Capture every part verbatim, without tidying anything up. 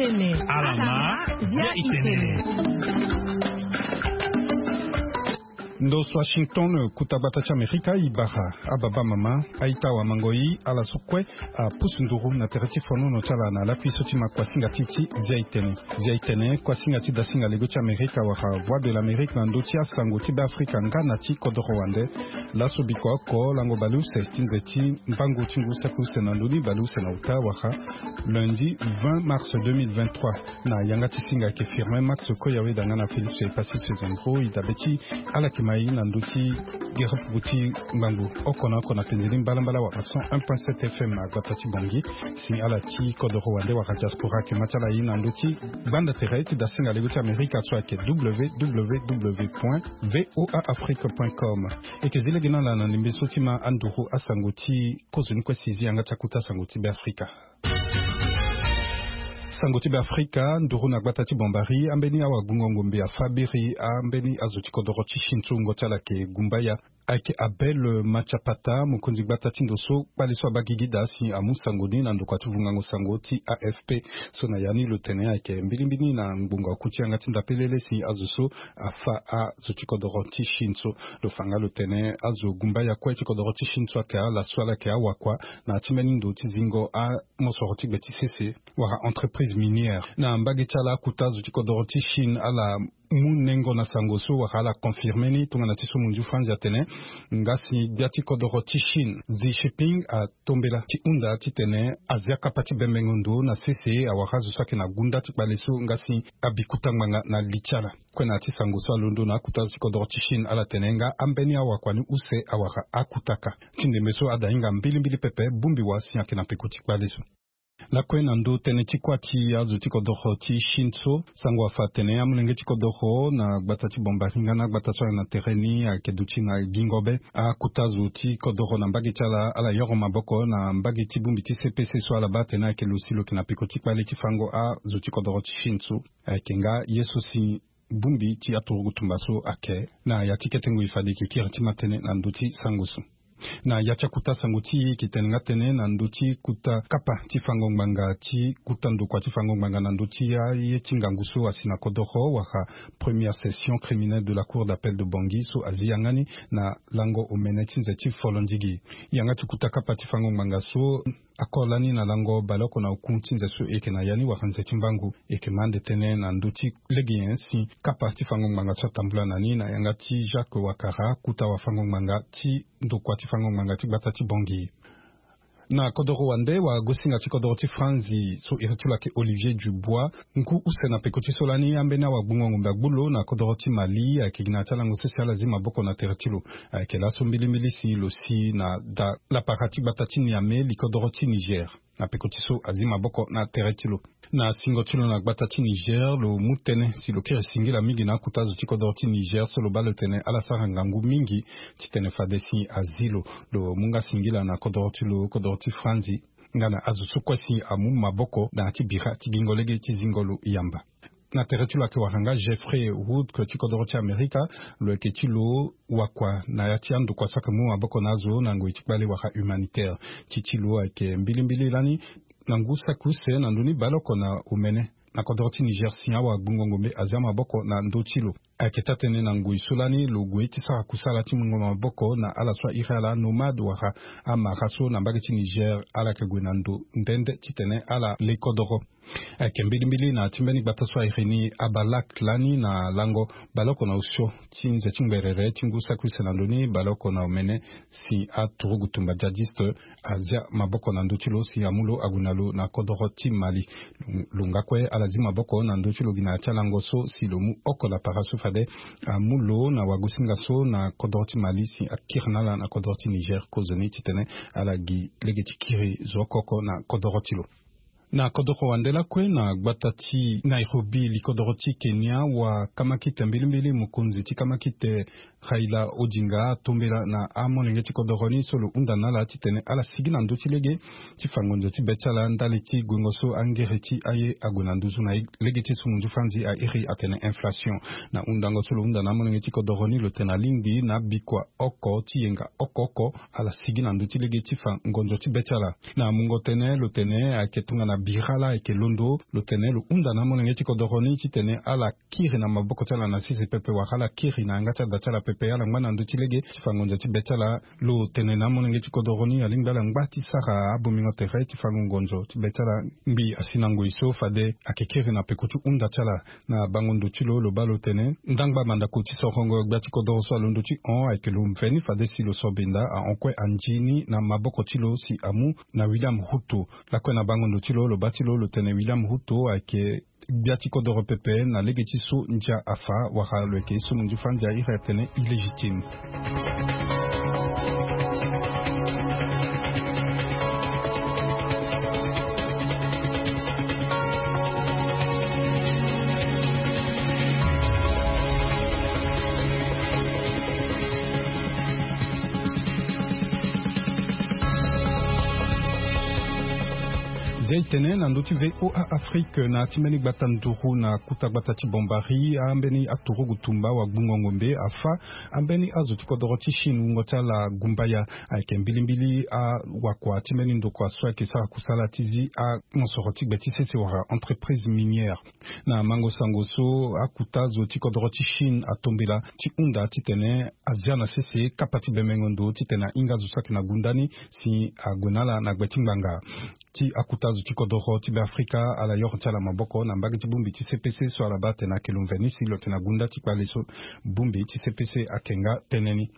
Ala ma, bia itene. Ndo so Washington, kuta gbata ti Amerika, e bara ababa mama, aita wamango i, ala so kue apusu nduru na tere ti fonono ti ala na lakui so ti ma kuasinga ti ti zia itene. Zia itene, kuasinga ti dasinga lego ti Amerika wala Voix de l'Amérique na ndö ti asango ti Beafrika nga na ti kodoro wande. Laso bikua oko lango baleuse ti nze ti mbangu ti ngu saki use na ndö ni baleuse na uta wala lundi vingt mars deux mille vingt-trois. Na yanga ti singa ayeke Firmin Max Koyawe danga na Félix Epassis Sezendro, e dabe ti ala yeke ma e na ndö ti gerepuku ti ngbangbo oko na oko na pendeli mbalambala wala cent un point sept F M na gbata ti Bangui. Si ala ti kodoro wande wala diaspora ayeke ma ti ala e na ndö ti gbanda tere ti dasinga lego ti Amerika so ayeke W W W point V O A Afrique point com. E yeke zi lege na ala na ndembe so ti ma anduru asango ti kozoni kue si e zi yanga ti akuta sango ti Beafrika. Sango ti Beafrika, nduru na gbata ti Bombari, ambeni awagbungo ngombe afa biri ambeni azo ti kodoro ti Chine so wungo ti ala ayeke gumbaya. Ayeke Abel Matiapata, mokonzi gbata ti ndo so kpale so abaa gigi daa si amu sango ni na ndokua ti vungango sango ti A F P. So na ya ni lo tene ayeke mbilimbili na ngbonga oku ti yanga ti ndapelele si azo so afa azo ti kodoro ti Chine so. Lo fa nga lo tene azo gumbaya kue ti kodoro ti Chine so ayeke ala so ala yeke awakua na ya ti mbeni ndo ti zingo amosoro ti gbe ti sese wala entreprise minière. Na mbage ti ala akuta azo ti kodoro ti Chine ala mu nengo na sango so wala ala confirme ni tongana ti so monzu Franzi atene nga si gbia ti kodoro ti Chine Xi Jinping atombela ti hunda titene azia kapa ti bembengo ndo na sese awara azo so ayeke na gunda ti kpale so nga si abi kuta ngbanga na li ti ala. Kue na ya ti sango so alondo na akuta azo ti kodoro ti Chine ala tene nga ambeni awakua ni use awara akuta kâ. Ti ndembe so ada hinga mbilimbili pepe bongbi wa si ayeke na peko ti kpale so. Lakue na ndö tënë ti kuâ ti azo ti kodoro ti Chine so, sango afa atene amolenge ti kodoro na gbata ti Bombari nga na agbata so ayeke na tere ni ayeke duti na gingo be. Akota zo ti kodoro na mbage ti ala, ala yoro maboko na mbage ti bongbi ti C P C so ala baa atene ayeke lo si lo yeke na peko ti kpale ti fango azo ti kodoro ti Chine so. Ayeke nga ye so si bongbi ti aturugu tumba so ayeke. Na ya ti kete ngoi fade e yeke kiri ti ma tënë na ndö ti sango so. Na ya ti akuta sango ti e, e yeke tene nga tënë na ndö ti kuta kapa ti fango ngbanga ti kuta ndokua ti fango ngbanga na ndö ti aye ti ngangu so asi na kodoro wala première session criminelle de la cour d'appel de Bangui so azi yanga ni na lango omene ti nze ti folondigi. Yanga ti kuta kapa ti fango ngbanga so akore lani na lango baleoko na oku ti nze so e yeke na ya ni wala nze ti mbangu. E yeke ma ande tënë na ndö ti lege nyen si kapa ti fango ngbanga so atambula na ni na yanga ti Jacques Ouattara, kuta wafango ngbanga ti ndokua ti fango ngbanga ti gbata ti Bangui. Na kodoro wande, wagosinga ti kodoro ti Franzi so iri ti lo ayeke Olivier Dubois, ngu use na peko ti so lani ambeni awagbungo ngombe agbu lo na kodoro ti Mali ayeke gi na ya ti alango so si ala zi maboko na tere ti lo. Ayeke laso mbilimbili si lo si na da lapara ti gbata ti Niamey, likodoro ti Niger. Na peko ti so azi maboko na tere ti lo. Na singo ti lo na gbata ti Niger, lo mu tënë si lo kiri singila mingi na akota zo ti kodoro ti Niger so lo baa lo tene ala sara ngangu mingi titene fade si azi lo. Lo mu nga singila na kodoro ti lo, kodoro ti Franzi, nga na azo so kue si amu maboko na ya ti bira ti gingo lege ti zingo lo yamba. Na tere ti lo ayeke wara nga Jeffrey Wood, ke ti kodoro ti Amerika, lo yeke ti lo wakua na ya ti andokua so ayeke mu maboko na azo na ngoi ti kpale wala humanitaire. Ti ti lo ayeke mbilimbili lani na ngu saki use na ndö ni baleoko na omene na kodoro ti Niger si awagbungo ngombe azia maboko na ndö ti lo. Ayeke taa-tënë na ngoi so lani lo gue ti sara kusala ti mungo maboko na ala so airi ala anomade wala amara so na mbage ti Niger ala yeke gue na ndo nde nde titene ala le kodoro. Ayeke mbilimbili na ya ti mbeni gbata so airi ni Abalak lani na lango baleoko na osio ti nze ti ngberere ti ngu saki use na ndö ni baleoko na omene si aturugu tumba djihadiste azia maboko na ndö ti lo si amu lo ague na lo na kodoro ti Mali. Lo nga kue ala zi maboko na ndö ti lo gi na ya ti alango so si lo mu oko lapara so fade amu lo na wagosinga so na kodoro ti Mali si akiri na ala na kodoro ti Niger kozoni titene ala gi lege ti kiri zo oko oko na kodoro ti lo. Na kodoro wande lakue na gbata ti Nairobi, likodoro ti Kenya, wakamakite mbilimbili, mokonzi ti kamakite Raila Odinga atombela na amolenge ti kodoro ni so lo hunda na ala titene ala sigi na ndö ti lege ti fa ngonzo ti be ti ala ndali ti guengo so angere ti aye ague na nduzu na lege ti sungu nzu fanzi a iri atene inflation. Na hundango so lo hunda na amolenge ti kodoro ni lo tene alingbi na bikua oko ti yenga oko oko ala sigi na ndö ti lege ti fa ngonzo ti be ti ala. Na mungo tënë lo tene ayeke tongana bira laa ayeke londo lo tene lo hunda na amolenge ti kodoro ni titene ala kiri na maboko ti ala na sese pepe wala ala kiri na yanga ti ada ti ala pepe ala ngba na ndö ti lege ti fa ngonzo ti be ti ala. Lo tene na amolenge ti kodoro ni alingbi ala ngba ti sara abongbingo tere ti fa ngonzo ti be ti ala. Ngbii asi na ngoi so fade ayeke kiri na peko ti hunda ti ala. Na bango ndo ti lo lo baa lo tene ndangba mandako ti sorongo gbia ti kodoro so alondo ti hon ayeke lo mveni fade si lo so binda ahon kue anzi ni na maboko ti lo si amu na William Ruto. Lakue na bango ndo ti lo lo baa ti lo lo tene William Ruto ayeke gbia ti kodoro pepe na lege ti so ndia afa wala lo yeke ye so mo nzi fa ndia iri atene illégitime. Zia e tene na ndö ti V O A Afrique na ti mbeni gbata nduru na kuta gbata ti Bombari ambeni aturugu tumba wagbungo ngombe afa ambeni azo ti kodoro ti Chine wungo ti ala gumbaya. Ayeke mbilimbili awakua ti mbeni ndokua so ayeke sara kusala ti zi amosoro ti gbe ti sese wala entreprise minière. Na mango sango so akuta zo ti kodoro ti Chine atombela ti hunda titene azia na sese kapa ti bemengo ndo titene ahinga zo so ayeke na gunda ni si ague na ala na gbe ti ngbanga. Ti akuta zo ti kodoro ti Beafrika ala yoro ti ala maboko na mbage ti bongbi ti C P C so ala baa atene ayeke lo mveni si lo yeke na gunda ti kpale so bongbi ti C P C ayeke nga tënë ni.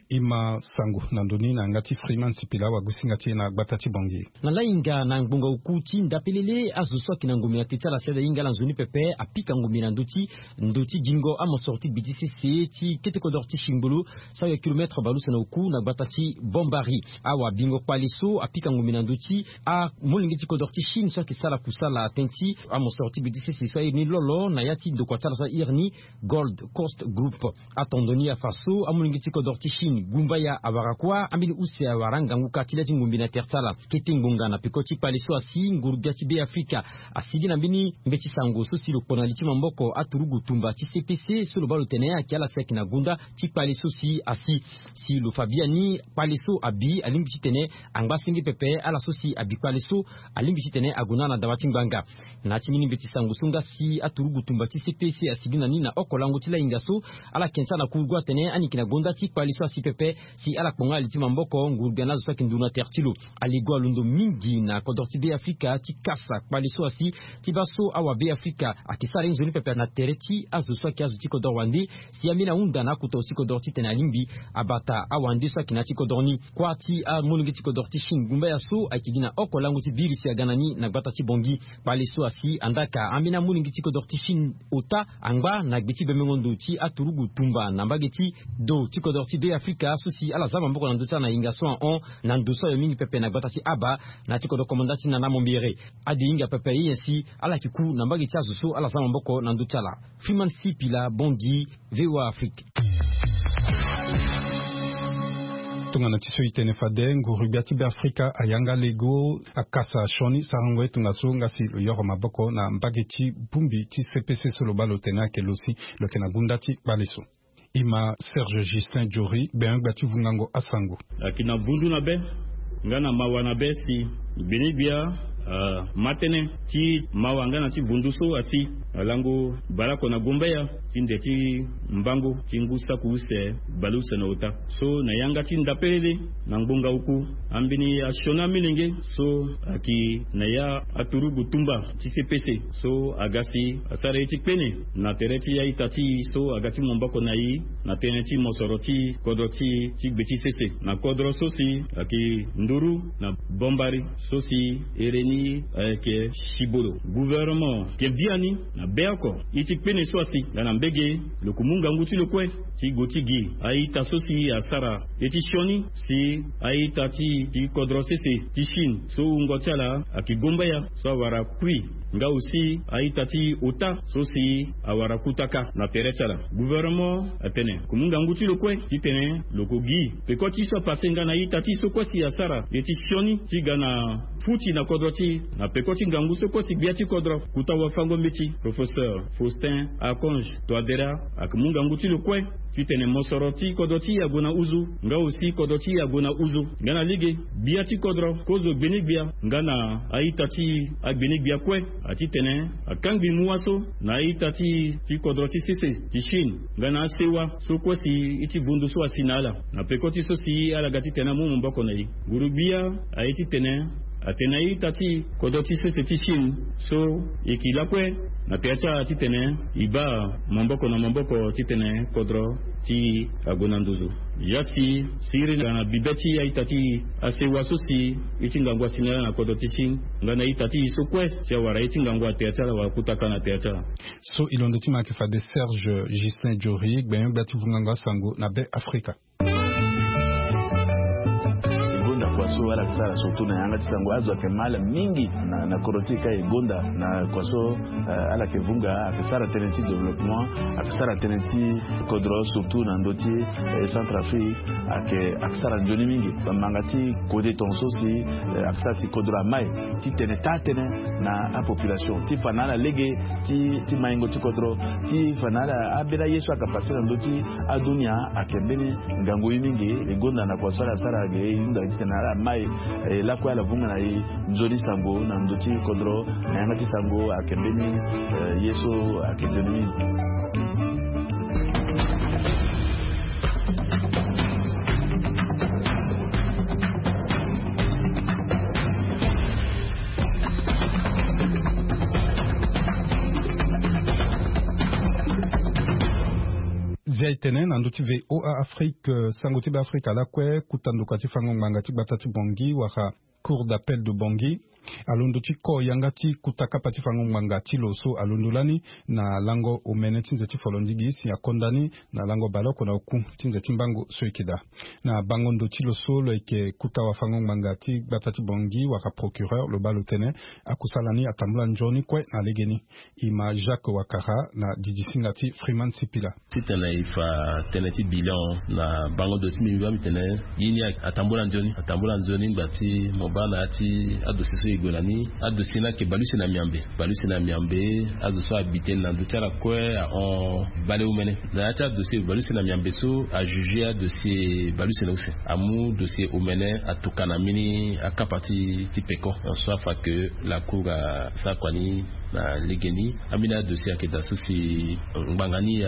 E ma sango na ndö ni na yanga ti Freeman Sipila wagosinga ti e na gbata ti Bangui. Na lahinga na ngbonga oku ti ndapelele azo so ayeke na ngombe na te ti ala si ala hinga ala nzoni pepe apika ngombe na ndö ti ndö ti gingo amosoro ti gbe ti sese ti kete kodoro ti Chine ngolo so awe kilometre baleuse na oku na gbata ti Bombari. Awa bingo kpale so apika ngombe na ndö ti amolenge ti kodoro ti Chine so ayeke sara kusala tënë ti amosoro ti gbe ti sese so airi ni lolo na ya ti ndokua ti ala so airi ni Gold Coast Group. Atondo ni afa so amolenge ti kodoro ti Chine gumbaya awara kuâ ambeni use awara angangu ka ti le ti ngombe na tere ti ala. Kete ngbonga na peko ti kpale so asi nguru-gbia ti Beafrika asigi na mbeni mbeti sango so si lo kpo na li ti maboko aturugu tumba ti C P C so lo baa lo tene ayeke ala si ayeke na gunda ti kpale so si asi. Si lo fa biani kpale so abi alingbi titene angba senge pepe ala so si abi kpale so alingbi titene ague na ala na dawa ti ngbanga. Na ya ti mbeni mbeti sango so nga si aturugu tumba ti C P C asigi na ni na oko lango ti lahinga so ala yeke na ti ala na kurugu atene ani yeke na gonda ti kpale so asi pepe si ala kpo nga na li ti maboko nguru-gbia na azo so ayeke nduru na tere ti lo. Alego alondo mingi na kodro ti Beafrika ti kasa kpale so asi ti baa so awa Beafrika ayeke sara ye nzoni pepe na tere ti azo so ayeke azo ti kodro wande. Si ambeni ahunda na akota zo ti kodro titene alingbi abata awande so ayeke na ya ti kodro ni. Kuâ ti amolenge ti kodro ti Chine gumbaya so ayeke gi na oko lango ti biri si aga na ni na gbata ti Bangui. Kpale so asi andaa ka ambeni amolenge ti kodro ti Chine ota angba na gbe ti bemengo ndo ti aturugu tumba na mbage ti do ti kodro ti Beafrika so si ala za maboko na ndö ti ala na hinga so ahon na ndo so ayo mingi pepe na gbata ti Aba na ya ti kodro komanda ti Nana Mombere. Ade hinga pepe ye nyen si ala yeke ku na mbage ti azo so ala za maboko na ndö ti ala. Freeman Sipila, Bangui, V O A Afrique. Tongana ti so e tene fade nguru-gbia ti Beafrika ayanga lego akasa sioni sarango ye tongaso nga si lo yoro maboko na mbage ti bongbi ti C P C so lo baa lo tene ayeke lo si lo yeke na gunda ti kpale so. E ma Serge Justin Jory gbenyo-gbia ti vungango asango. Ayeke na vundu na be nga na mawa na be si gbenegbia, ah, ma tënë ti mawa nga na ti vundu so asi alango baleoko na gumbaya ti nde ti mbango ti ngu saki use baleuse na ota. So na yanga ti ndapelele na ngbonga oku ambeni asioni amolenge so ayeke na ya aturugu tumba ti C P C so aga si asara ye ti kpene na tere ti ya ita ti e so aga ti mu maboko na e na tënë ti mosoro ti kodro ti e ti gbe ti sese na kodro so si ayeke nduru na Bombari so si ere ni Ayeke sibolo gouvernement ke biani na be oko. Ye ti kpene so asi nga na mbege lo ko mu ngangu ti lo kue ti go ti gi a-ita so si asara ye ti sioni si a-ita ti ti kodro sese ti Chine so wungo ti ala ayeke gombaya so awara kui nga aussi a-ita ti ota so si awara kutaka na tere ti ala. Gouvernement atene ko mu ngangu ti lo kue titene lo ko gi peko ti so apase nga na a-ita ti so kue si asara ye ti sioni ti ga na futi na kodro ti na peko ti ngangu so kue si gbia ti kodro kuta wafango mbeti professeur Faustin Archange Touadéra ayeke mu ngangu ti lo kue titene mosoro ti kodro ti e ague na uzu nga aussi kodro ti e ague na uzu nga na lege gbia ti kodro kozo gbene-gbia nga na a-ita ti agbene-gbia kue. Atitene akangbi mu waso na a-ita ti ti kodro ti sese ti Chine nga na asewa so kue si ye ti vundu so asi na ala na peko ti so si ala ga titene amu maboko na e. Nguru-gbia aye titene atene a-ita ti kodro ti sese ti Chine so e yeke lakue na tere ti ala titene e baa maboko na maboko titene kodro ti e ague na nduzu. Ya si siriri na bibe ti a-ita ti asewa so si ye ti ngangu asi na ala na kodro ti Chine nga na a-ita ti e so kue si awara ye ti ngangu na tere ti ala wala kutaka na tere ti ala. So e londo ti ma ayeke fade Serge Ghislain Jory gbenyo-gbia ti vungango asango na Be Afrika. E gonda kua so ala yeke sara surtout na yanga ti sango azo ayeke mal mingi na na kodro ti e ka e gonda na kua so ala yeke vunga ayeke sara tënë ti développement ayeke sara tënë ti kodro surtout na ndö ti Centrafrique ayeke ayeke sara nzoni mingi. Bamanga ti kode tonga so si ayeke sara si kodro amai ti tene taa-tënë na apopulation ti fa na ala lege ti maingo ti kodro ti fa na ala ambeni aye so ayeke pase na ndö ti adunia ayeke mbeni ngangu ye mingi. E gonda na kua so ala sara ge e hunda titene ala mai e lakue ala vunga na e nzoni sango na ndö ti kodro na yanga ti sango ayeke mbeni ye so ayeke nzoni mingi. Zia e tene na ndö ti VOA Afrique sango ti Be Afrika lakue kuta ndoka ti fango ngbanga ti gbata ti Bangui wala Cour d'appel de Bangui alondo ti ko yanga ti kuta kapa ti fango ngbanga ti lo so alondo lani na lango omene ti nze ti folondigi si akonda ni na lango baleoko na oku ti nze ti mbango so e yeke daa. Na bango ndo ti lo so lo yeke kuta wafango ngbanga ti gbata ti Bangui wala procureur lo baa lo tene akusala ni atambula nzoni kue na legeni. E ma Jacques Wakara na didisinga ti Freeman Sipila. Titene e fa tënë ti bilan na bango ndo ti mbi mbi baa mbi tene ye ni atambula nzoni atambula nzoni ngba ti mo baa na ya ti adossier so e gue na ni. Adossier ni ayeke baleuse na miambe baleuse na miambe. Azo so abi tënë na ndö ti ala kue ahon baleomene na ya ti adossier baleuse na miambe so ajuge adossier baleuse na use amu dossier omene atuka na mbeni akapa ti ti peko. So afa ke lacour asara kua ni na legeni. Ambeni adossier ayeke daa so si ngbanga ni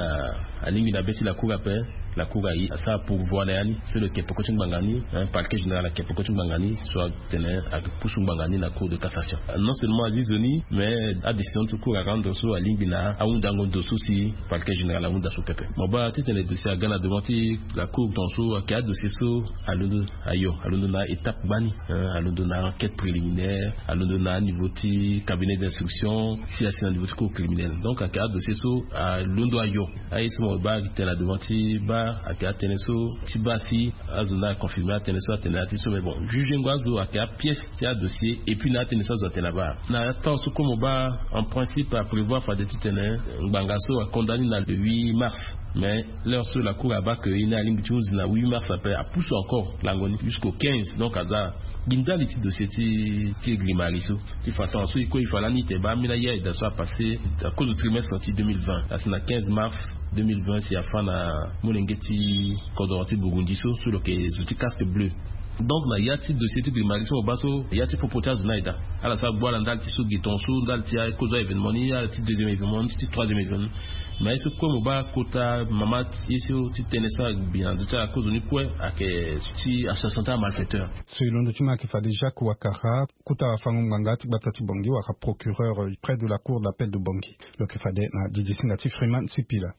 alingbi na be ti lacour ape. Lacour aye asara pourvoi na ya ni so lo yeke peko ti ngbanga ni. Parquet général ayeke peko ti ngbanga ni so atene ayeke pusu ngbanga ni na cour de cassation. Non seulement azi zo ni mais adécision ti cour arendre so alingbi na ahundango ndo so si parquet général ahunda so pepe. Mo baa titene dossier aga na devant ti lacour tonga so ayeke adossier so alondo ayo alondo na étape gbani. Alondo na enquête préliminaire alondo na aniveau ti cabinet d'instruction si asi na niveau ti cour criminelle donc ayeke adossier so alondo ayo. Aye so mo baa ayeke tene na devant ti baa ayeke atënë so ti baa si azo ni aconfirme atënë so atene na ya ti so mais bon jugengo azo ayeke apièce ti adossier et puis na atënë so azo atene na baa na temps so comme mo baa en principe aprévoir fade titene ngbanga so akonda ni na le huit mars. Mais l'heure so lacour abaa ke ye ni alingbi ti hunzi na huit mars ape apusu encore lango ni jusqu'au quinze donc aza gi ndali ti dossier ti ti grimari so ti façon so e kue e fa lani ete baa ambeni aye aye daa so apasse akozo trimestre ti deux mille vingt asi na quinze mars deux mille vingt si afa na molenge ti kodoro ti burundi so so lo yeke zo ti casque bleu. Donc na ya ti dossier ti grimari so mo baa so ya ti popo ti azo ni aye daa ala so agbu ala ndali ti so gi tonga so ndali ti akozo aévénement ni ala ti deuxième événement ni ti troisième événement ni. Mais ye so kue mo baa kota mama ye so ti tënë so agbi na ndö ti ala kozo ni kue ayeke ti association ti amalfaiteur. So e londo ti ma ayeke fade Jacques Wakara kuta wafango ngbanga ti gbata ti Bangui wala procureur près de la cour d'appel de Bangui. Lo yeke fade na didisinga ti Freeman Sipila.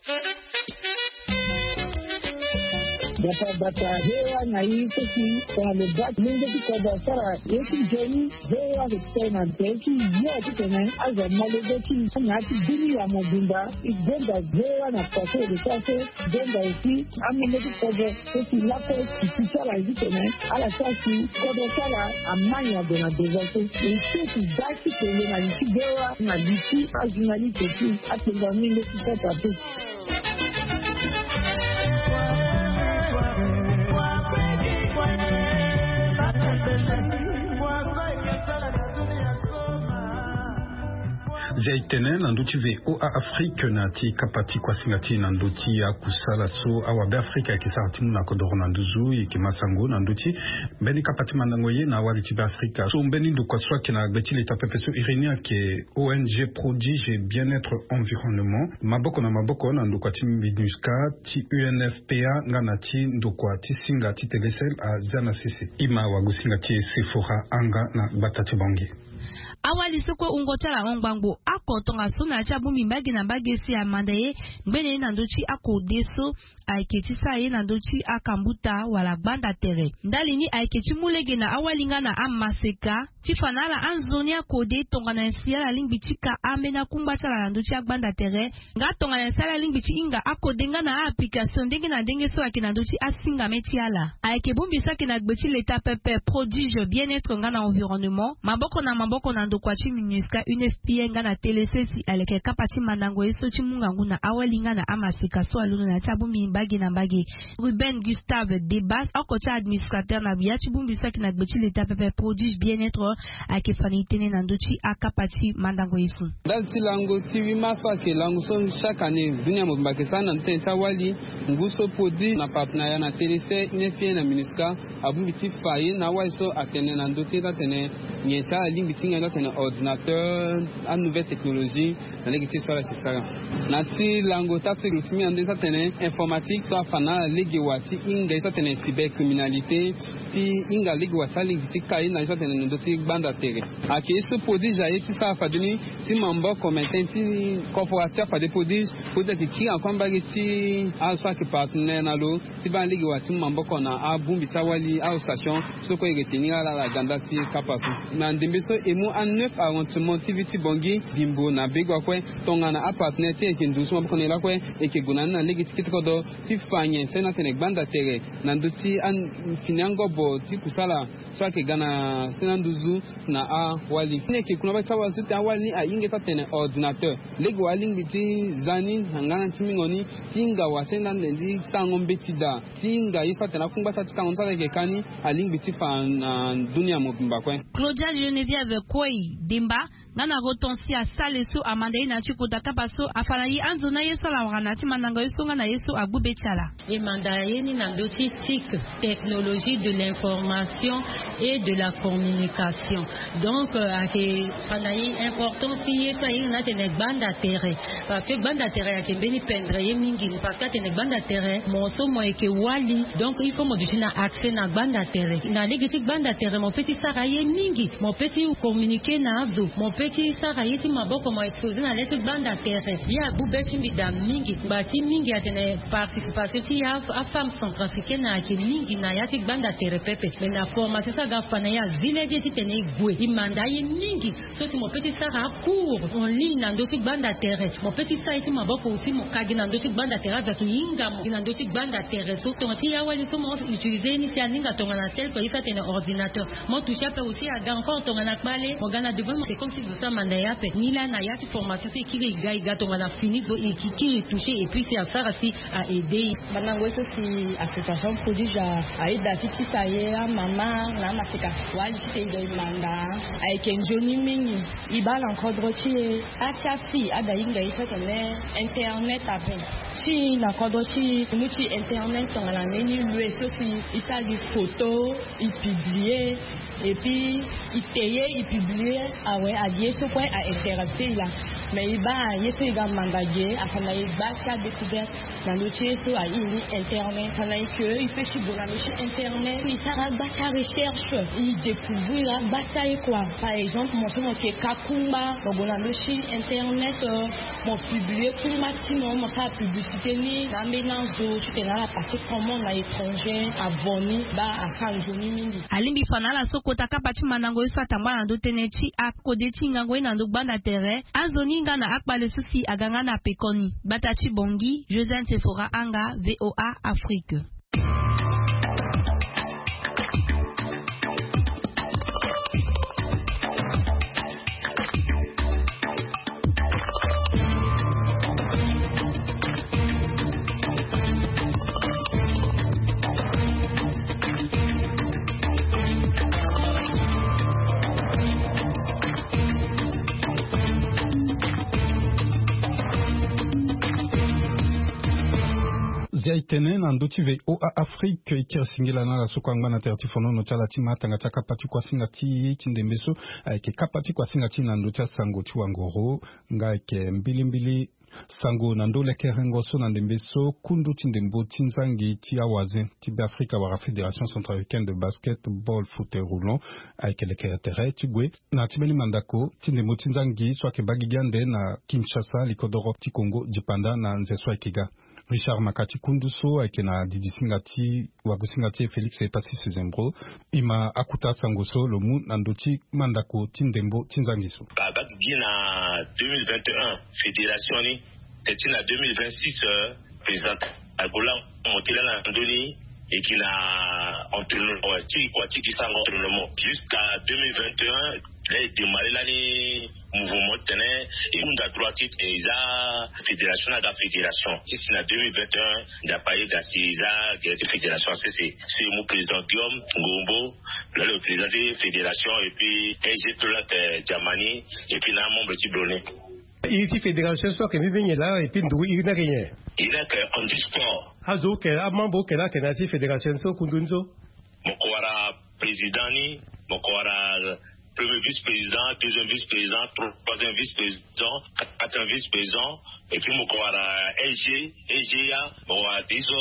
Bata bata hewa na i so si tongana lo baa ti lenge ti kodro asara ye ti nzoni. Hewa lo tene na tere ti yo titene azo amolenge ti na ya ti bini ya mobimba. I gbenda hewa na pase lo sara so gbenda esi amolenge ti kodro so si lakue ti ti sara ye titene ala sara si kodro ti ala amani ague na devant so. E so ti da ti kele na li ti hewa na li ti ajournaliste ti atengo amolenge ti kota te. Zia e tene na ndö ti V O A Afrique na ti kapa ti kuasinga ti e na ndö ti akusala so awabe Afrika ayeke sara ti mu na kodoro na nduzu. E yeke ma sango na ndö ti mbeni kapa ti mandango ye na awali ti Beafrika so mbeni ndokua so ayeke na gbe ti leta pepe so iri ni ayeke O N G Prodige Bien-être Environnement, maboko na maboko na ndokua ti MINUSCA, ti U N F P A nga na ti ndokua ti singa ti Telecel azia na sese. Ima wagosinga ti e Sephora Anga na gbata ti Bangui. Awali so kue wungo ti ala ahon ngbangbo oko tongaso na ya ti abongbi mbage na mbage si amanda ye ngbene ye na ndö ti akode so ayeke ti sara ye na ndö ti akambuta wala gbanda tere. Ndali ni ayeke ti mu lege na awali nga na amaseka ti fa na ala anzoni akode tongana nyen si ala lingbi ti ka ambeni akungba ti ala na ndö ti agbanda tere. Nga tongana nyen si ala lingbi ti hinga akode nga na a-application ndenge na ndenge so ayeke na ndö ti asingame ti ala. Ayeke bongbi so ayeke na gbe ti leta pepe Prodige Bien-être nga na Environnement, maboko na maboko na ndokua ti MINUSCA, U N F P A nga na Telecel si aleke kapa ti mandango ye so ti mu ngangu na awali nga na amaseka so alondo na ya ti abongbi mbage na mbage. Ruben Gustave Debas, oko ti administrateur na ya ti bongbi so ayeke na gbe ti leta pepe Prodige Bien-être, ayeke fa na e tënë na ndö ti akapa ti mandango ye so. Ndali ti lango ti huit mars so ayeke lango so chaque année dunia mobimba ayeke sara na ndö ti tënë ti awali. Ngu so Prodige na partenariat na Telecel, U N F P A na MINUSCA abongbi ti fa ye na awali so atene na ndö ti ye ti atene nyen si ala lingbi ti hinga ye ti atene ordinateur, anouvelle technologie, na lege ti ye so ala yeke sara. Na ti lango ti asekuru ti mingi na ndö ye so atene informatique so afa na ala lege wa ti hinga ye so atene cybercriminalité, ti hinga lege wa ti alingbi ti ka ye na ye so atene na ndö ti gbanda tere. Ayeke ye so Prodige aye ti sara fade ni ti maboko mainten ti corporatif afade Prodige. Prodige ayeke kiri encore mbage ti ala so ayeke partenaire na lo ti baa lege wa ti mu maboko na abongbi ti awali, association so kue e retenir ala na ganda ti kapa so. Na ndembe so e mu a neuf arrondissement ti ville ti Bangui, Bimbo na Begua kue, tongana apartenaire ti e ayeke nduzu so maboko na e lakue, e yeke gue na ni na lege ti kete kodro ti fa nyen si na atene gbanda tere na ndö ti a, fini angobo ti kusala so ayeke ga na sena nduzu na awali ni. Ayeke kuna mbage ti awali so ti awali ni ahinga ye so atene ordinateur. Lege wa alingbi ti za ni na ngana ti mingo ni, ti hinga wa ti enda nde ti sarango mbeti daa, ti hinga ye so atene akungba so ati kango ni so ala yeke ka ni, alingbi ti fa na dunia mobimba kue. Claudia Geneviève Koi Demba nga na Hortensia Sale so amanda ye na ya ti kota kapa so afa na ye anzoni aye so ala wara na ya ti mandango ye so nga na ye so agbu be ti ala. E manda ye ni na ndö ti TIC, technologie de l'information et de la communication. Donc, euh, ayeke fa na ye importance ti ye so ahinga ni atene gbanda tere. Parce que gbanda tere ayeke mbeni pendre ye mingi. Parce que atene gbanda tere, mo so mo yeke wali. Donc, il faut mo duti na accès na gbanda tere. Na lege ti gbanda tere, mo peut ti sara ye mingi. Mo peut ti communiquer na azo. Mo peut ti sara ye ti maboko, mo exposer na le ti gbanda tere. Ye agbu be ti mbi daa mingi. Ngba ti mingi atene participation ti ya afemme centrafricaine ayeke mingi na ya ti gbanda tere pepe. Mais na formation so aga fa na ye azi lege titene e gue. E manda ye mingi. So si mo peut ti sara acours en ligne na ndö ti gbanda tere. Mo peut ti sara ye ti maboko aussi, mo ka gi na ndö ti gbanda tere, azo ayeke hinga mo gi na ndö ti gbanda tere. So tongana ti ya wali so mo utiliser ye ni si aninga tongana tel que ye so atene ordinateur. Mo toucher ape aussi aga encore tongana kpale. Mo ga na devant mo, c'est comme si zo so amanda ye ape. Ni laa na ya ti formation so e kiri e ga, e ga tongana fini zo e kiri e toucher et puis si asara si a aider. Mandango ye so si association Prodige a aida ti tisa ye amama na amaseka. Wali ti tene e manda ayeke nzoni mingi. E baa na kodro ti e, ati afille ada hinga ye so atene internet ape. Ti na kodro ti e, mu ti internet tongana mbeni lue so si e sara gi photo, e publier, et puis e te ye, e publier awe, agi ye so kue a intéressé e laa. Mais e baa ye so e ga manda ge afa na e gba ti adécouverte na ndö ti ye so airi ni internet. Afa na e ke e peut ti gue na ndö ti internet e sara gba ti arecherche, e découvrir agba ti aye kua. Par exemple mo so mo ke ka kungba, mo gue na ndö ti internet, mo publier kungba ti mo, mo sara publicité ni na ambeni azo titene ala passer commande na étranger, abonné baa asara nzoni mingi. Alingbi fa na ala so kota kapa ti mandango ye so atangba na ndö tënë ti akode ti hingango ye na ndö gbanda tere. Azo ni hinga na akpale so si aga nga na pekoni. Gbata ti Bangui, Josiane Sephora Anga, VOA Afrique. Zia e tene na ndö ti VOA Afrique, e kiri singila na ala so kue angba na tere ti fonono ti ala ti ma tanga ti akapa ti kuasinga ti e ti ndembe so. Ayeke kapa ti kuasinga ti e na ndö ti asango ti wangoro. Nga ayeke mbilimbili sango na ndö lekerengo so na ndembe so kundu ti ndembo ti nzangi ti awazen ti Beafrika wala Fédération Centrafricaine de Basketball Fauteuil Roulant ayeke lekere tere ti gue na ti mbeni mandako ti ndembo ti nzangi so ayeke baa gigi ande na Kinshasa, likodoro ti Congo dipanda na nze so ayeke ga. Richard Makati kundu so ayeke na didi singa ti wagosinga ti e Félix Epasis Zembro. E ma akuta sango so lo mu na ndö ti mandako ti ndembo ti nzangi so. Babaki gi na deux mille vingt et un fédération ni, teti na deux mille vingt-six, euh, président Agola mo ti la na ndö ni e gi na entraînement ti kua ti gi sango entraînement jusqu'à deux mille vingt et un. Là e démarrer lani mouvement ti tene e hunda droit ti tene e za fédération na aga fédération ti si na deux mille vingt et un. Nzapa ayeda si e za gere ti fédération sese. So e mu président Guillaume Ngombo, lo le président ti fédération, et puis S G Tolak, euh, Diamani, et puis na amembre ti Bloné. Iri ti fédération so ayeke mbi mingi laa, et puis ndugu iri ni ayeke nyen? Iri ni ayeke Andy Sport. Azo oke amembre oke laa ayeke na ya ti fédération so kundu ni so? Mo ko wara président ni, mo ko wara premier vice-président, deuxième vice-président, troisième vice-président, quatrième vice-président, et puis mo ko wara S G, S G A, mo wara ti so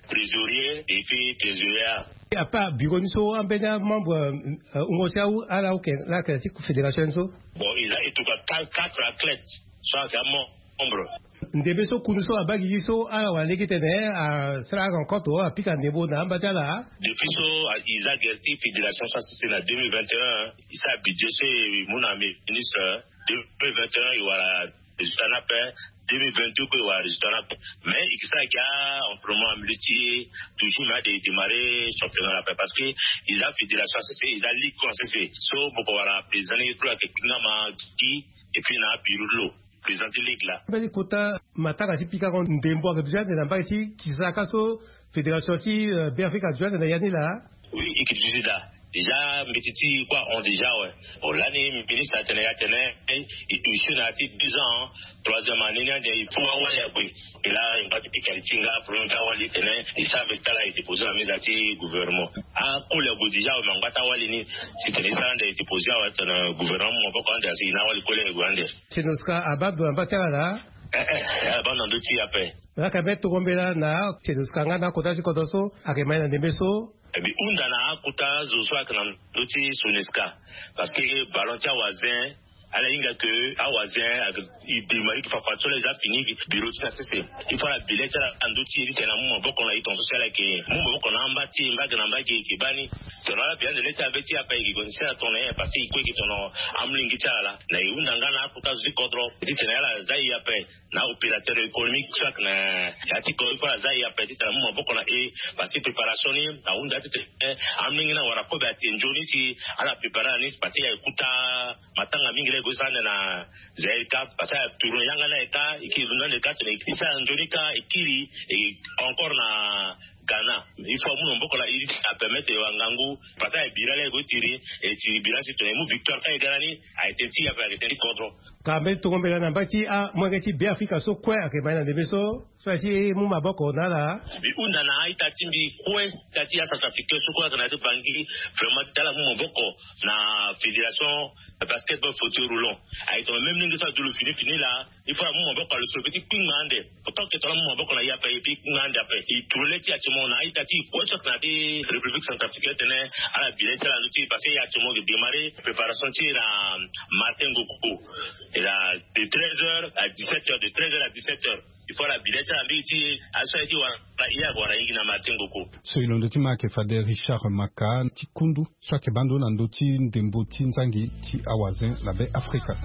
trésorier, et puis trésorier. Apa bureau ni so ambeni amembre, euh, wungo ti awu ala oke laa ayeke na ti fédération ni so? Bon, il a en tout cas quatre, quatre athlètes so ayeke amembre. Ndembe so kundu so abaa gigi so ala wara lege tene asara rencontre apika ndembo na amba ti ala. Depuis so e za gere ti fédération so asese na deux mille vingt et un, e sara budget so e mu na ministre. Deux mille vingt et un e wara résultat ni ape. Deux mille vingt-deux kue e wara résultat ni ape. Mais e ke sara gi entraînement amilieu ti e toujours, mais ade e démarrer championnat ni ape parce que e za fédération asese, e za ligue kue asese. So mo ko wara président ni kue ayeke kpinga ma gi, et puis na abureau ti lo président ti ligue laa. Mbeni kota matanga ti pika ko ndembo ayeke duti ande na mbage ti kisaka so fédération ti, euh, Beafrika aduti ande na ya ni laa? Oui, e ke duti daa. Déjà mbeti ti e kue ahon déjà awe. Bon, lani ministre atene ya tene e use na ya ti deux ans, troisième année ni ande il faut awali ague. E laa e ngba ti pika e ti nga problème ti awali tene e sara mbeti ti ala e déposer na meza ti gouvernement. Akoli ague déjà awe, me angba ti awali ni. Si tene e sara ande e déposer awe tene gouvernement maboko ande asi e na awali koli ague ande. Senoska abaa ndo na mba ti ala laa? Eh, eh, abaa na ndö ti e ape. Laka mbe toko mbela na Senoska nga na akota ti kodro so ayeke ma e na ndembe so. E bi hunda na akota zo so ayeke na ndö ti Senoska. Parce que ballon ti awazen ala hinga ke awazen ayeke e bi ma e yeke fafa ti so la e za fini bureau ti na sese. Il faut ala bi le ti ala na ndö ti e titene amu maboko na e tongaso si ala yeke mu maboko na amba ti e mbage na mbage e yeke baa ni. Tongana ala bi ande le ti abe ti e ape e yeke gue na si ala tongana nyen? Parce que e kue e yeke tongana amolenge ti ala laa. Na e hunda nga na akota zo ti kodro titene ala za e ape. Na opérateur économique so ayeke na ya ti kodro il faut ala za e ape titene amu maboko na e. Parce que préparation ni ahunda titene amolenge ni awara kobe ate nzoni si ala préparer ala ni parce que e kuta matanga mingi laa e gue sara ande na Zaïre Cup parce que atourne yanga ni ayeke ka e kiri londo ande ka tene e sara nzoni ka e kiri e encore na Ghana. Il faut amu na maboko na e ti apermettre e wara ngangu parce que e bira laa e gue tiri e tiri bira si tene e mu victoire ka e ga lani. Ayeke tene ti e ape ayeke tene ti kodro. Ka mbeni tongo mbela na mbai ti amolenge ti Beafrika so kue ayeke ma ye na ndembe so so aye ti mu maboko na ala. Mbi hunda na a-ita ti mbi kue, ita ti acentrafricain so kue ayeke na ya ti Bangui, vraiment ti ala mu maboko na fédération basketball fauteuil roulant. Aye tongana même ndenge so adu lo fini fini laa, il faut amu maboko na lo so lo peut ti kpingba ande. Autant que tongana amu maboko na ye ape et puis kpingba ande ape. E tourne ti actuellement na a-ita ti e kue so ayeke na ya ti République centrafricaine titene ala bi le ti ala na ndö ti e, parce que ye actuellement ayeke démarrer préparation ti e na Martin Ngoko. Et là, de treize heures à dix-sept heures, de treize heures à dix-sept heures, il faut ala bi le ti ala na ndö ti e, aso aye ti wara ye, ague wara ye gi na Martin Ngoko. So e londo ti ma ayeke fade Richard Maka ti kundu so ayeke baa ndo na ndö ti ndembo ti nzangi ti awazen na Be Afrika.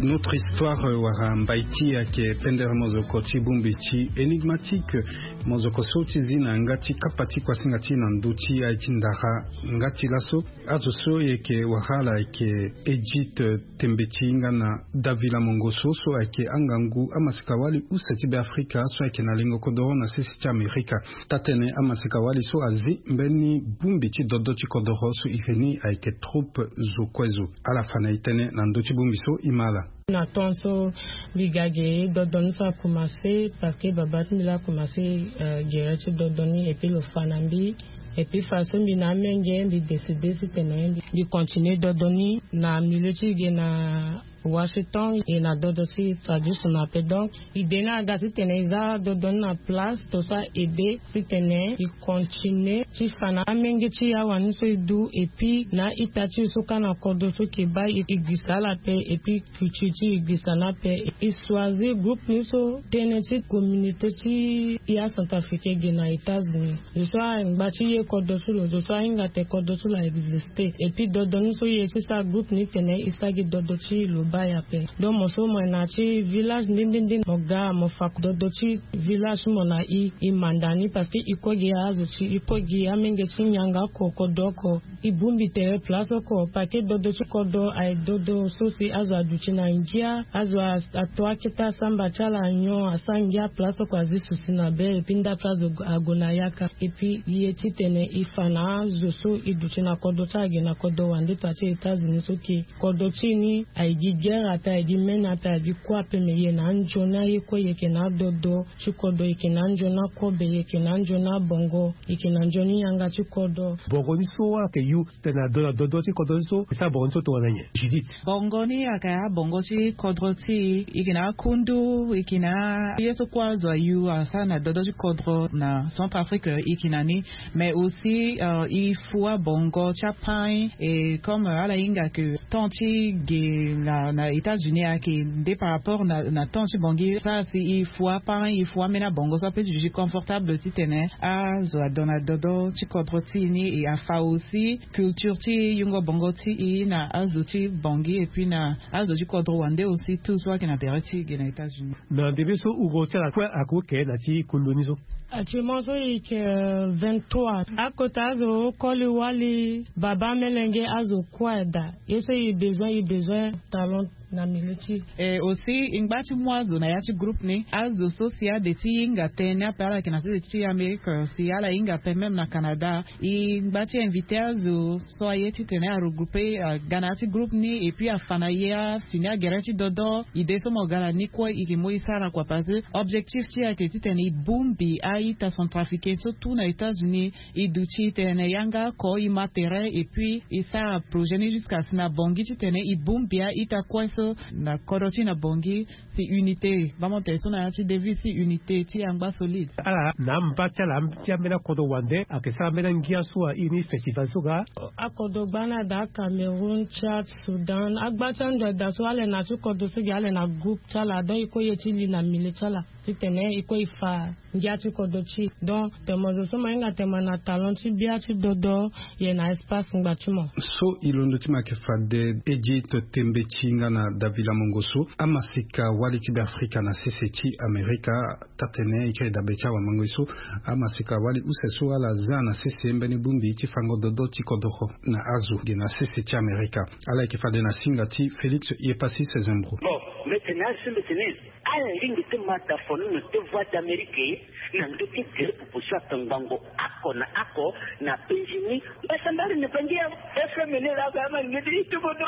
Notre histoire, euh, wala mbai ti e ayeke pendere mozoko ti bongbi ti Enigmatique. Mozoko so ti zi na yanga ti kapa ti kuasinga ti e na ndö ti aye ti ndara. Nga ti laso, azo so e yeke wara ala ayeke Edith Tembeti nga na Davila Mongoso so ayeke angangu amaseka-wali use ti Beafrika so ayeke na lengo kodoro na sese ti Amerika. Taa-tënë amaseka-wali so azi mbeni bongbi ti dodo ti kodoro so e yeke ni ayeke troupe Zo Kue Zo. Ala fa na e tënë na ndö ti bongbi so e ma ala. Na temps so mbi ga ge, dodo ni so akomanse parce que babâ ti mbi laa akomanse, euh, gere ti dodo ni et puis lo fa na mbi. Et puis façon mbi na amenge, mbi décide titene mbi, mbi continue dodo ni na milieu ti e ge na Washington, e na dodo ti tradition ape. Donc idée ni aga titene e za dodo ni na place to so a aide titene e continue ti fa na amenge ti e awani so e du, et puis na a-ita ti e so kâ na kodro so e yeke baa, e, e gbisa ala ape, et puis culture ti e, e gbisa ni ape. E choisir groupe ni so tënë ti communauté ti e acentrafricain ge na États-Unis. Zo so angba ti ye kodro ti lo, zo so ahinga tene kodro ti lo a exister. Et puis dodo ni so e ye ti sara groupe ni tene e sara gi dodo ti lo baa e ape. Donc mo so mo yeke na ya ti village nde nde nde, mo ga mo fa dodo ti village ti mo na e, e manda ni parce que e kue gi azo ti e, e kue gi amenge ti nyanga oko, kodro oko. E bongbi tere place oko parce que dodo ti kodro aye dodo so si azo aduti na ngia, azo a, ato akete asamba ti ala nyon, asara ngia place oko, azi susi na be, et puis nda place ague na yaka. Et puis e ye titene e fa na azo so e duti na kodro ti ala ge na kodro wande, to ati États-Unis so ke kodro ti e ni aye gi guerre ape, aye gi mene ape, aye gi kue ape, me e ye na anzoni aye kue, e yeke na adodo ti kodro, e yeke na anzoni akobe, e yeke na anzoni abongo, e yeke na nzoni yanga ti kodro. Bongo ni so ayeke yu tene ado na dodo ti kodro ni so, e sara bongo ni so tongana nyen, Judith? Bongo ni ayeke abongo ti kodro ti e, e yeke na akundu, e yeke na ye so kue azo ayu asara na dodo ti kodro na Centrafrique, e yeke na ni. Mais aussi, euh, e fu abongo ti apain, et comme, euh, ala hinga ke temps ti ge na, na États-Unis ayeke nde par rapport na, na temps ti Bangui, sara si e fu apain, e fu ambeni abongo so ape ti duti confortable titene azo adon na dodo ti kodro ti e ni, e afa aussi culture ti yungo bongo ti e na azo ti Bangui, et puis na azo ti kodro wande aussi, tout so ayeke na tere ti e ge na États-Unis. Na ndembe so wungo ti ala kue ayeke oke na ti kundu ni so? Actuellement so e yeke, euh, vingt-trois. Akota azo koli wali, babâ, melenge, azo kue ada. Ye so e besoin, e besoin talent na milieu ti e. Et aussi e ngba ti mu azo na ya ti groupe ni. Azo so si ade ti hinga tënë ape, ala yeke na sese ti Amérique, si ala hinga ape même na Canada, e ngba ti invité azo so aye titene a regrouper, aga na ya ti groupe ni, et puis afa na e afini agere ti dodo. Idée so mo ga na ni kue e yeke mu e sara kua, parce que objectif ti e ayeke titene e bongbi a-ita centrafricain so tout na États-Unis. E duti titene yanga oko e ma tere, et puis e sara projet ni jusqu'à si na Bangui titene e bongbi a-ita kue so na kodro ti e na Bangui. Si unité, baa mo tene so na ya ti devise, si unité ti e angba solide. Ala na amba ti ala ti ambeni akodro wande ayeke sara ambeni angia so a iri ni festival so ga. Akodro gbani ada, Cameroun, Tchad, Soudan, agba ti ando ada so ala yeke na ya ti kodro so gi, ala yeke na groupe ti ala, donc e kue e ye ti li na milieu ti ala. Titene e kue e fa ngia ti kodro ti e. Donc tene mo zo so mo hinga tene mo na talon ti bia ti dodo, ye na espace ngba ti mo. So e londo ti mo ayeke fade Egypte, tembe ti hinga na davila mongo so amasika wali ti be afrika na sese ti amerika. Taa-tene e kiri dabe ti awamango ye so amasika wali use so ala za na sese mbeni bongbi ti fango dodo ti kodoro na azo ge na sese ti amerika. Ala yeke fade na singa ti félix, ye pasi sezembro. Bon, mete na azo so mete na e ala lingbi ti mata fonono ti voie d'amérique na ndö ti gere pupu so ake ngbongo oko na oko na benjini. Mbasa mbari na bangi ya fmn la aka ama lingbi ti ti bodo.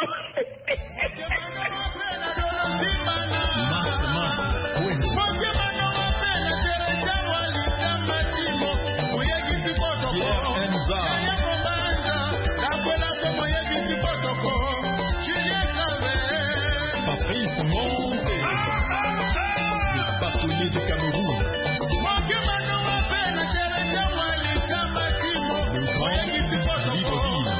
Patrice Monte, le bâtonnier du Cameroun. Le grand Libreville.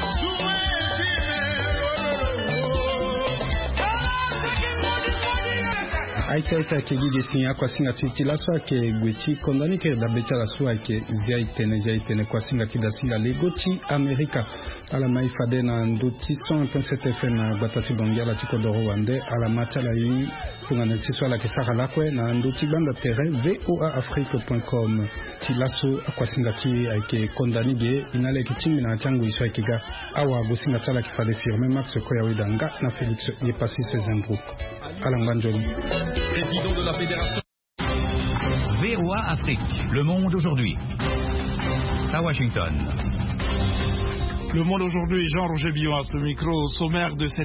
Aita aita ayeke gi ge si akuasinga ti ti laso ayeke gue ti konda ni kiri dabe ti ala so ayeke zia e tene zia e tene kuasinga ti dasinga lego ti amerika. Ala ma e fade na ndö ti cent un point sept fm na gbata ti bangi ala ti kodoro wande ala ma ti ala ye. Tongana ti so ala yeke sara lakue na ndö ti gbanda tere voa afrique point com. Ti laso akuasinga ti e ayeke konda ni ge. E na ala yeke tingbi na ya ti angoi so ayeke ga. Awagosinga ti ala yeke fade firme max koya weda nga na félix, ye pasi sezembro. Ala ngba nzoni. Président de la fédération. Voa Afrique, le monde aujourd'hui. À Washington. Le monde aujourd'hui, Jean Roger Billon à ce micro. Au sommaire de cette